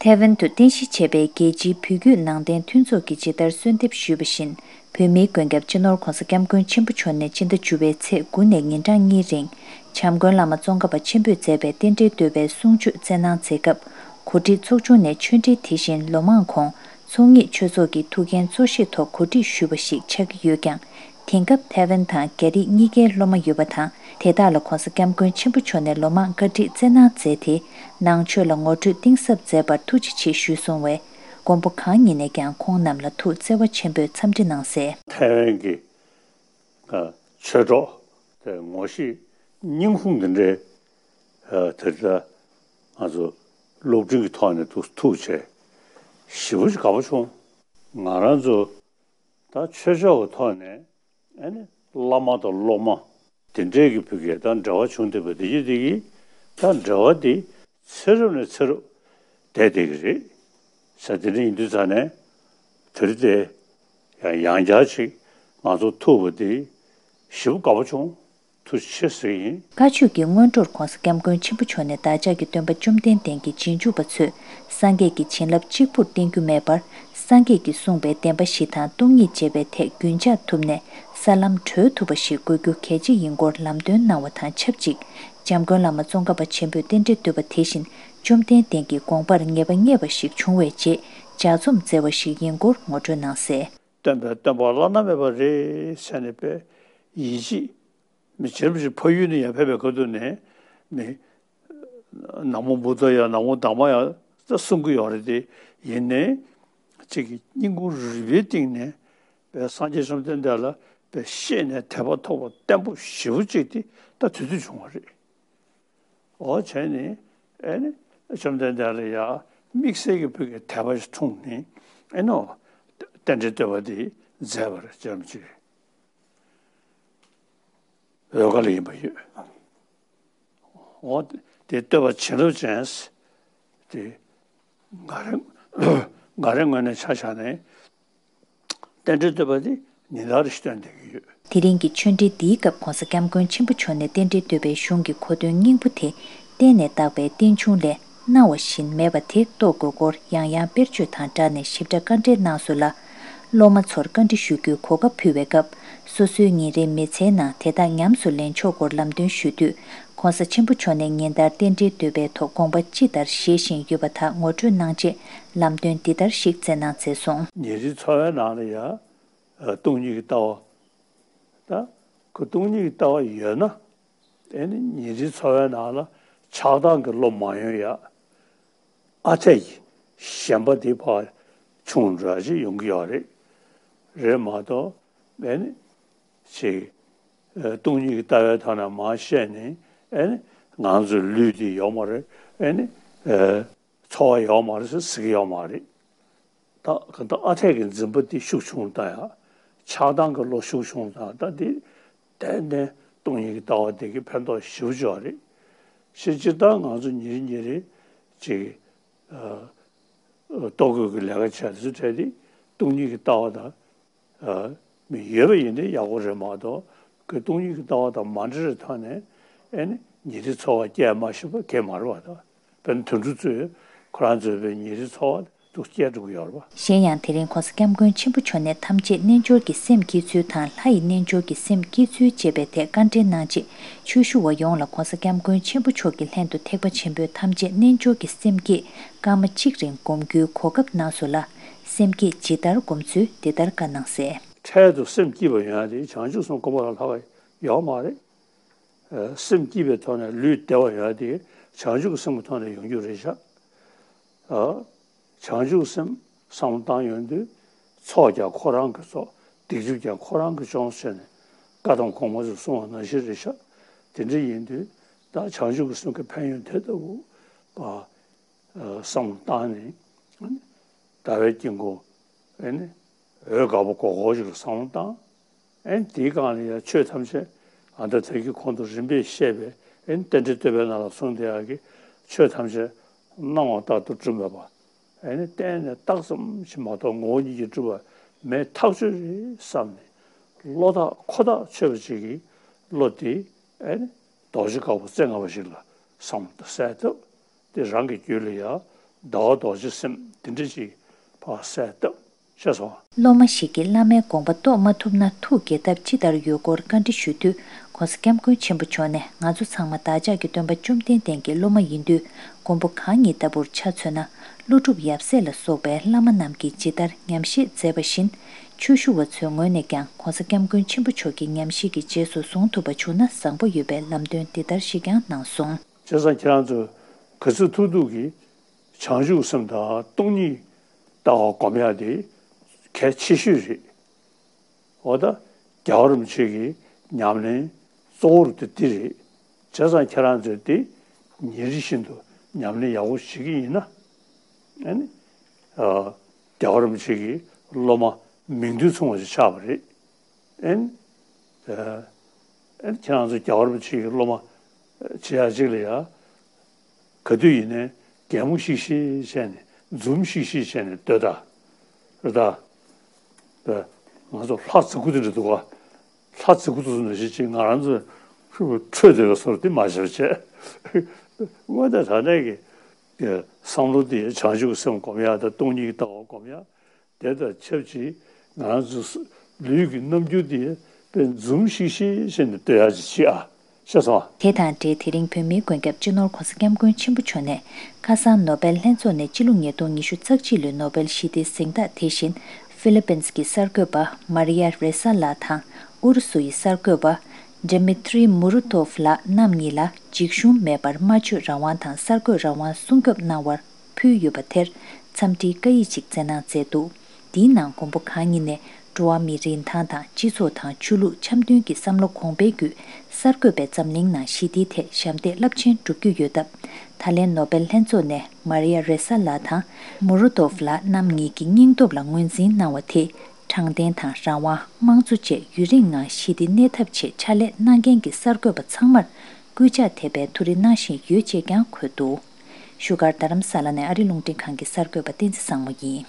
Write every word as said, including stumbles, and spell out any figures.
ཐའེ་ཝན་དུ་རྟེན་གཞི་བྱས་པའི་རྒྱལ་སྤྱིའི་བོད་བརྒྱུད་ནང་བསྟན་མཐུན་ཚོགས་ཀྱིས་ཇི་ལྟར་གསོལ་འདེབས་ཞུས་པ་བཞིན། བོད་མིའི་མགོན་སྐྱབས་སྤྱི་ནོར་༧གོང་ས་༧སྐྱབས་མགོན་ཆེན་པོ་མཆོག་ནས་སྤྱི་ཟླ་བཅུ་པའི་ཚེས་དགུ་ནས་ཉིན་གྲངས་གཉིས་རིང་། བྱམས་མགོན་བླ་མ་ཙོང་ཁ་པ་ཆེན་པོས་མཛད་པའི་རྟེན་འབྲེལ་བསྟོད་པའི་གསུང་ཆོས་སྩལ་གནང་མཛད་སྐབས། གོ་སྒྲིག་ཚོགས་ཆུང་ནས་ཆོས་འབྲེལ་དེ་བཞིན་ལོ་མང་གོང་ཚོགས་གཉིས་ཆོས་ཚོགས་ཀྱི་ཐུགས་འགན་གཙོ་བཞེས་ཐོག་གོ་སྒྲིག་ཞུས་པ་ཞིག་ཆགས་ཀྱི་ཡོད་ཀྱང་། དེང་སྐབས་ཐའེ་ཝན་དང་རྒྱ་རིགས་གཉིས་ཀའི་སློབ་མ་ཡོད་པ་དང་། དེ་དག་ལ་༧གོང་ས་༧སྐྱབས་མགོན་ཆེན་པོ་མཆོག་ནས་ལོ་མང་བཀའ་ཁྲིད་སྩལ་གནང་མཛད་དེ། ནང་ཆོས་ལ་ངོ་སྤྲོད་གཏིང་ཟབ་མཛད་པར་ཐུགས་རྗེ་ཆེ་ཞུས་གསུངས་བས། མགོན་པོ་གང་ཉིད་ནས་ཀྱང་ཁོང་རྣམས་ལ་ཐུགས་བརྩེ་བ་ཆེན་པོས་འཚམས་འདྲི་གནང་གསལ། ཐའེ་ཝན་གྱི་ཆོས་གྲོགས་དེ་ངོ་ཤེས་སྙིང་ཁུང་འདི་འདྲའི་དེ་ལྟ་ང་ཚོ་སློབ་འབྲིང་གི་ཐོག་ནས་ཐུགས་ཐུགས་ཆེ་ཞེ་པོ་ཅིག་དགའ་པོ་བྱུང་། ང་རང་ཚོ་ད་ཆོས་ཕྱོགས་ཀྱི་ཐོག་ནས་ཨ་ནི་བླ་མ་དང་སློབ་མ་དེ་འདྲས་ཀྱི་བུ་གས་ད་འབྲེལ་བ་བྱུང་བསྡད་པ་དེ་ཡིན་དེ་གིས་ད་འབྲེལ་བ་དེ་ཚེ་རབས་ནས་ཚེ་རབས་བསྡད་བསྡད་ཀྱི་རེད་ཟེར། དེ་འདྲ་ཡིན་དུས་ཙང་ནས་དེ་རིང་དེ་ཡང་ཡང་བསྐྱར་ཅིག་ང་ཚོ་ཐུག་པ་དེ་ཞེ་པོ་དགའ་པོ་བྱུང་། ཐུགས་རྗེ་ཆེ་ཟེར་གྱི་ཡིན། བཀའ་ཆོས་ཀྱི་སྔོན་འགྲོར་༧གོང་ས་༧སྐྱབས་མགོན་ཆེན་པོ་མཆོག་ནས་བདག་ཅག་གི་སྟོན་པ་བཅོམ་ལྡན་འདས་ཀྱི་རྗེས་འཇུག་པ་ཚོས་སངས་རྒྱས་ཀྱི་བྱིན་རླབས་གཅིག་པུར་བརྟེན་རྒྱུ་མེད་པར། སངས་རྒྱས་ཀྱིས་གསུངས་པའི་བདེན་པ་བཞི་དང་སྟོང་ཉིད་འབྱེད་པའི་ཐད་རྒྱུན་འཇགས་ཐུབ་ནས་ས་ལམ་བགྲོད་ཐུབ་པ་ཞིག་དགོས་རྒྱུ་གལ་ཆེ་ཡིན་སྐོར་ལམ་སྟོན་གནང་བ་དང་ཆབས་ཅིག། བྱམས་མགོན་བླ་མ་ཙོང་ཁ་པ་ཆེན་པོས་རྟེན་འབྲེལ་བསྟོད་པ་དེ་བཞིན་བཅོམ་ལྡན་འདས་ཀྱི་དགོངས་པར་ངེས་པ་རྙེད་པ་ཞིག་བྱུང་བའི་རྗེས་ལྗགས་རྩོམ་མཛད་པ་ཞིག་ཡིན་སྐོར་ངོ་སྤྲོད་གནང་གསལ། སྟོན་པའི་སྟོན་པ་བླ་ན་མེད་པ་རེད་ཟེར་ནས་པའི་ཡིད་ཆེས་མི་བྱེད་པ་ཞིག་ཕ་ཡུལ་ནས་ཡར་ཕེབས་པའི་སྐབས་དུས་ནས་མི་ན་མོ་བུདྡྷ་ཡ་ན་མོ་དྷརྨ་ཡ་ད་གསུང་གི་ཡོད་རེད་དེ། ཡིན་ནའི་གཅིག་གི་སྙིང་ཁུང་རུས་པའི་གཏིང་ནས་པའི་སངས་རྒྱས་བཅོམ་ལྡན་འདས་ལ་པའི་ཤེས་ནས་དད་པ་ཐོགས་པ་བརྟན་པོ་ཞེ་པོ་གཅིག་དེ་ད་དེ་དུས་བྱུང་བ་རེད། འོ་བྱས་ནས་ཨེ་ནི་བཅོམ་ལྡན་འདས་ལ་ཡ་དམིགས་བསལ་གྱི་བུ་གའི་དད་པ་ཞིག་འཁྲུངས་ནས་ཨེ་ནོ་རྟེན་འབྲེལ་བསྟོད་པ་འདི་མཛད་པར་བྱམས་ཆེ་འོལ་ཁ་ལ་ཡིན་པ་ཡོད། འོ་དེ་བསྟོད་པ་བྱིན་རླབས་ཅན་དེ་ང་རང་ང་རང་ངོས་ནས་ཆ་བཞག་ནས། རྟེན་འབྲེལ་བསྟོད་པ་འདི་ཉིན་ལྟར་བསྟོན་བསྡད་ཀྱི་ཡོད། དེ་རིང་གི་ཆོས་འབྲེལ་འདིའི་སྐབས་༧གོང་ས་༧སྐྱབས་མགོན་ཆེན་པོ་མཆོག་ནས་རྟེན་འབྲེལ་བསྟོད་པའི་གཞུང་གི་གོ་དོན་སྙིང་པོ་དེ་བསྟན་ནས་བཏགས་པའི་རྟེན་འབྱུང་ལས་གནང་བ་བཞིན་མེད་པ་དེ་རྟོགས་དགོས་སྐོར་ཡང་ཡང་དཔེར་བརྗོད་དང་སྦྲགས་ནས་ཞིབ་ཕྲ་བཀའ་འགྲེལ་གནང་སོང་ལ། སློབ་མ་ཚོར་བཀའ་འདྲི་ཞུ་རྒྱུའི་གོ་སྐབས་ཕུལ་བའི་སྐབས། སོ་སོའི་ཉིན་རེའི་མི་ཚེའི་ནང་དེ་དག་ཉམས་སུ་ལེན་ཕྱོགས་སྐོར་ལམ་སྟོན་ཞུ་དུས། ༸གོང་ས་ཆེན་པོ་མཆོག་ནས་ཉིན་ལྟར་རྟེན་འབྲེལ་བསྟོད་པའི་ཐོག་དགོངས་པ་ཅི་ལྟར་བཞེས་བཞིན་ཡོད་པ་དག་ངོ་སྤྲོད་གནང་རྗེས་ལམ་སྟོན་འདི་ལྟར་ཞིག་སྩལ་གནང་མཛད་སོང་། ཉིན་རེའི་འཚོ་བའི་ནང་ལ་ཡང་སྟོང་ཉིད་ཀྱི་ལྟ་བ། ད་ཁོ་སྟོང་ཉིད་ཀྱི་ལྟ་བ་ཡོད་ན་དེ་ནི་ཉིན་རེའི་འཚོ་བའི་ནང་ལ་ཆགས་སྡང་གི་བློ་མ་ཡོང་ཡ། ཨ་འཐས་ཀྱི་ཞེན་པ་དེ་ཕར་ཆུང་འགྲོ་ཡ་ཅིག་ཡོང་གི་ཡོད་རེད། རེད་མ་གཏོགས་ཨེ་ནི་ཅིག་ཨ་སྟོང་ཉིད་ཀྱི་ལྟ་བའི་ཐོག་ནས་མར་བཤད་ནས་ཨེ་ནི་ང་ཚོའི་ལུས་འདི་ཡོད་མ་རེད། ཨེ་ནི་ཨ་འཚོ་བ་ཡོད་མ་རེད་ཟེར་ཟེར་གྱི་ཡོད་མ་རེད། ད་གང་ལྟར་ཨ་འཐས་ཀྱི་འཛིན་པ་དེ་ཤུགས་ཆུང་བཏང་ཡ། ཆགས་སྡང་གི་བློ་ཤུགས་ཆུང་བཏང་ཡ། ད་དེ་གཏན་གཏན་སྟོང་ཉིད་ཀྱི་ལྟ་བ་དེ་གི་ཕན་ཐོགས་ཞེ་པོ་ཅིག་ཡོད་རེད། ཞེས་སྤྱིར་བཏང་ང་ཚོ་ཉིན་རེ་ཉིན་རེ་ཅིག་ཨ་ལྟོ་གོས་ཀྱི་ལས་ཀ་བྱས་དུས་ཚོད་དེ་སྟོང་ཉིད་ཀྱི་ལྟ་བ་དང་། ཨ་མི་ཡོད་པ་ཡིན་ན་ཡག་པོ་རེད་མ་གཏོགས་ཁོས་སྟོང་ཉིད་ཀྱི་ལྟ་བ་དང་མ་འདྲ་བའི་ཐོག་ནས་ཨེ་ནི་ཉིན་རེའི་འཚོ་བ་སྐྱེལ་མ་ཤེས་པ་གང་ཡང་མ་རེད་པ། ད་དཔེར་ན་དུད་འགྲོ་ཚོས་ཁོ་རང་ཚོའི་བའི་ཉིན་རེའི་འཚོ་བ་འདུག་སྐྱེལ་འགྲོ་གི་ཡོད་རེད་པ། གཞན་ཡང་དེ་རིང་༸གོང་ས་༸སྐྱབས་མགོན་ཆེན་པོ་མཆོག་ནས་ཐམས་ཅད་རྣལ་འབྱོར་གྱི་སེམས་བསྐྱེད་ཚུལ་དང་ལྷ་ཡི་རྣལ་འབྱོར་གྱི་སེམས་བསྐྱེད་ཚུལ་ཅེས་པའི་ཐད་བཀའ་འགྲེལ་གནང་རྗེས། ཆོས་ཞུ་བ་ཡོངས་ལ་༸གོང་ས་༸སྐྱབས་མགོན་ཆེན་པོ་མཆོག་གི་ལྷན་དུ་ཐེག་པ་ཆེན་པོའི་ཐམས་ཅད་རྣལ་འབྱོར་གྱི་སེམས་བསྐྱེད་སྐར་མ་གཅིག་རིང་སྒོམ་རྒྱུའི་གོ་སྐབས་གནང་སོང་ལ། སེམས་བསྐྱེད་ཇི་ལྟར་སྒོམ་ཚུལ་འདི་ལྟར་བཀའ་གནང་གསལ། འཕྲལ་དུ་སེམས་བསྐྱེད་པ་ཡོང་ཡ་དེ་བྱང་ཆུབ་སེམས་སྒོམ་པ་ལས་ལྷག་པ་ཡོད་མ་རེད། ཨ་སེམས་བསྐྱེད་པའི་ཐོག་ནས་ལུས་བདེ་བ་ཡོང་ཡ་དེ་བྱང་ཆུབ་སེམས་ཀྱི་ཐོག་ནས་ཡོང་རྒྱུ་རེད་ཤག་ཨ་བྱང་ཆུབ་སེམས་བསམ་བློ་བཏང་ཡོང་དུས་ཚོགས་ཀྱང་ཁོ་རང་གི་ཚོགས། སྡིག་སྒྲིབ་ཀྱང་ཁོ་རང་གིས་སྦྱོང་ཟེར་ནས་བཀའ་གདམས་གོང་མ་ཚོས་གསུངས་པ་ནང་བཞིན་རེད་ཤག་དེ་འདྲ་ཡིན་དུས་ད་བྱང་ཆུབ་ཀྱི་སེམས་ཀྱི་ཕན་ཡོན་དེ་ལྟ་བུ་བ། ཨ་བསམ་བློ་བཏང་ནས་ཟླ་བའི་དཀྱིལ་འཁོར་ཨེ་ནི་འོད་དཀར་པོ་སྒོར་སྒོར་ཞིག་ལ་བསམ་བློ་བཏང་། ཨེ་ནི་དེའི་སྒང་ལ་ཡང་ཆོས་ཐམས་ཅད་ཨ་ད་ད་གིན་གོང་དུ་རིམ་པས་བཤད་པའི་ཨེ་ནི་རྟེན་འབྲེལ་བསྟོད་པའི་ནང་ལ་གསུངས་བསྡད་ཡག་གི་ཆོས་ཐམས་ཅད་སྣང་བ་ལྟར་དུ་གྲུབ་མེད་པ། ཨེ་ནི་བརྟེན་ནས་རྟགས་ཙམ་ཞིག་མ་གཏོགས་ངོ་བོ་ཉིད་ཀྱིས་གྲུབ་པ་མེད་ཐག་ཆོད་རེད་བསམ་ནས་བློ་ཐག་ཁོ་ཐག་ཆོད་པ་ཅིག་གིས་བློ་དེ་ཨེ་ནི་རྡོ་རྗེ་དཀར་པོ་རྩེ་ལྔ་པ་ཞིག་ལ་བསམ་བློ་གཏད་ཐུབ། དེ་རང་གི་རྒྱུད་ལ་ཡང་ ཟླ་བ་རྡོ་རྗེ་སེམས་དེ་འདྲ་ཅིག་ཕར་གསལ་བཏབ། ཤེས་སོང་། སློབ་མ་ཞིག་གིས་བླ་མའི་དགོངས་པ་རྟོགས་མ་ཐུབ་ན་ཐུགས་དགྱེས་ཐབས་ཅི་ལྟར་ཡོད་སྐོར་བཀའ་འདྲི་ཞུས་དུས། ྋགོང་ས་ྋསྐྱབས་མགོན་ཆེན་པོ་མཆོག་ནས། ང་ཚོ་ཚང་མ་བདག་ཅག་གི་སྟོན་པ་བཅོམ་ལྡན་འདས་ཀྱི་སློབ་མ་ཡིན་དུས། མགོན་པོ་གང་ཉིད་ལྟ་བུར་ཆ་མཚོན་ན། ཀླུ་སྒྲུབ་ཡབ་སྲས་ལ་སོགས་པའི་བླ་མ་རྣམས་ཀྱིས་ཇི་ལྟར་ཉམས་བཞེས་མཛད་པ་བཞིན། ཆོས་ཞུ་བ་ཚོའི་ངོས་ནས་ཀྱང་ྋགོང་ས་ྋསྐྱབས་མགོན་ཆེན་པོ་མཆོག་གི་ཉམས་བཞེས་ཀྱི་རྗེས་སུ་བཟུང་ཐུབ་པ་བྱུང་ན་བཟང་པོ་ཡོད་པའི་ལམ་སྟོན་འདི་ལྟར་ཞིག་ཀྱང་གནང་སོང་། བྱས་ཙང་ཁྱེད་རང་ཚོས་ག་ཚོད་ཐུབ་ཐུབ་ཀྱིས་བྱང་ཆུབ་སེམས་དང་སྟོང་ཉིད་ལྟ་བ་སྒོམ་ཡག་དེ་གལ་ཆེ་ཤོས་རེད། འོ་ད་རྒྱལ་བ་རིན་པོ་ཆེ་གི་ཉམས་ལེན་གཙོ་བོ་དེ་འདི་རེད། བྱས་ཙང་ཁྱེད་རང་ཚོས་དེ་ཉིན་རེ་བཞིན་དུ་ཉམས་ལེན་ཡག་པོ་བྱེད་ཀྱི་ཡིན་ན། ཨ་ནི། ཨ། རྒྱལ་བ་རིན་པོ་ཆེ་གི་སློབ་མ་མིང་དོན་མཚུངས་པ་ཞིག་ཆགས་པ་རེད། ཨ་ནི། ཨ། ཨ་ནི་ཁྱེད་རང་ཚོ་རྒྱལ་བ་རིན་པོ་ཆེ་གི་སློབ་མ་བྱེད་ཡག་ཅིག་ལ་ཡ། ག་དུས་ཡིན་ནའི་གད་མོ་ཤིག་ཤིག་བྱས་ནས། འཛུམ་ཤིག་ཤིག་བྱས་ནས་སྡོད་ད། རེད་ད། ང་ཚོ་ལྷ་རྫི་གུ་དེ་འདྲ་འདུག་ག་ལྷ་རྫི་གུ་དེ་ཚོ་ནང་བཞིན་ཅིག་ང་རང་ཚོ་ཁྲོས་བསྡད་པའི་བཟོ་འདྲ་དེ་མ་བྱེད་པ་བྱས། དངོས་གནས་དྲང་གནས་ཀྱི་བསམ་བློ་དེ་བྱང་ཆུབ་སེམས་སྒོམ་ཡག་དང་སྟོང་ཉིད་ཀྱི་ལྟ་བ་སྒོམ་ཡག་དེ་དང་ཆབས་ཅིག་ང་ཚོ་ལུས་ཀྱི་རྣམ་འགྱུར་དེ་དཔེ་འཛུམ་ཤིག་ཤིག་བྱས་ནས་སྡོད་ཡག་ཅིག་བྱེད་ཨ། ཤེས་སོང་། དེ་དང་འབྲེལ། དེ་རིང་བོད་མིའི་མགོན་སྐྱབས་སྤྱི་ནོར་ྋགོང་ས་ྋསྐྱབས་མགོན་ཆེན་པོ་མཆོག་ནས། ཁ་སང་ནོ་སྦེལ་ལྷན་ཚོགས་ནས་སྤྱི་ལོ་ཉིས་སྟོང་ཉི་ཤུ་རྩ་གཅིག་ལོའི་ནོ་སྦེལ་ཞི་བདེའི་གཟེངས་རྟགས་དེ་བཞིན། ཧྥི་ལི་པིན་གྱི་གསར་འགོད་པ་མ་རི་ཡ་རེ་ས་ལགས་དང་། ཨུ་རུ་སུ་ཡི་གསར་འགོད་པ་ཌི་མི་ཏྲི་མུ་རུ་ཏོབ་ལགས་རྣམ་གཉིས་ལ་འཇིགས་ཞུམ་མེད་པར་སྨྲ་བརྗོད་རང་དབང་དང་གསར་འགོད་རང་དབང་སྲུང་སྐྱོབ་གནང་བར་ཕུལ་ཡོད་པ་དེར་འཚམས་འདྲིའི་བཀའ་ཡིག་ཅིག་བསྩལ་གནང་མཛད་འདུག་འདིའི་ནང་མགོན་པོ་གང་ཉིད་ནས་འགྲོ་བ་མིའི་རིན་ཐང་དང་སྤྱི་ཚོགས་དང་ཆོས་ལུགས་འཆམ་མཐུན་གྱི་བསམ་བློ་གོང་འཕེལ་བརྒྱུད། གསར་འགོད་པའི་འཛམ་གླིང་ནང་ཞི་བདེའི་ཐད་ཞབས་འདེགས་རླབས་ཆེན་བསྒྲུབ་རྒྱུ་ཡོད་སྟབས། ད་ལན་ནོ་སྦེལ་ལྷན་ཚོགས་ནས་མ་རི་ཡ་རེ་ས་ལགས་དང་མུ་རུ་ཏོབ་ལགས་རྣམ་གཉིས་ཀྱི་སྙིང་སྟོབས་ལ་ངོས་འཛིན་གནང་བ་དེས། དྲང་བདེན་དང་རང་དབང་། དམངས་གཙོ་བཅས་ཡུན་རིང་ངང་ཞི་བདེ་གནས་ཐབས་ཆེད་ཕྱག་ལས་གནང་མཁན་གྱི་གསར་འགོད་པ་ཚང་མར་སྐུལ་ལྕག་ཐེབས་པའི་ཐུགས་རེ་གནང་བཞིན་ཡོད་ཅེས་ཀྱང་འཁོད་འདུག་བཞུགས་སྒར་རྡ་རམ་ས་ལ་ནས་ཨ་རི་རླུང་འཕྲིན་ཁང་གི་གསར་འགོད་པ་བསྟན་འཛིན་བཟང་མོ་ཡིན།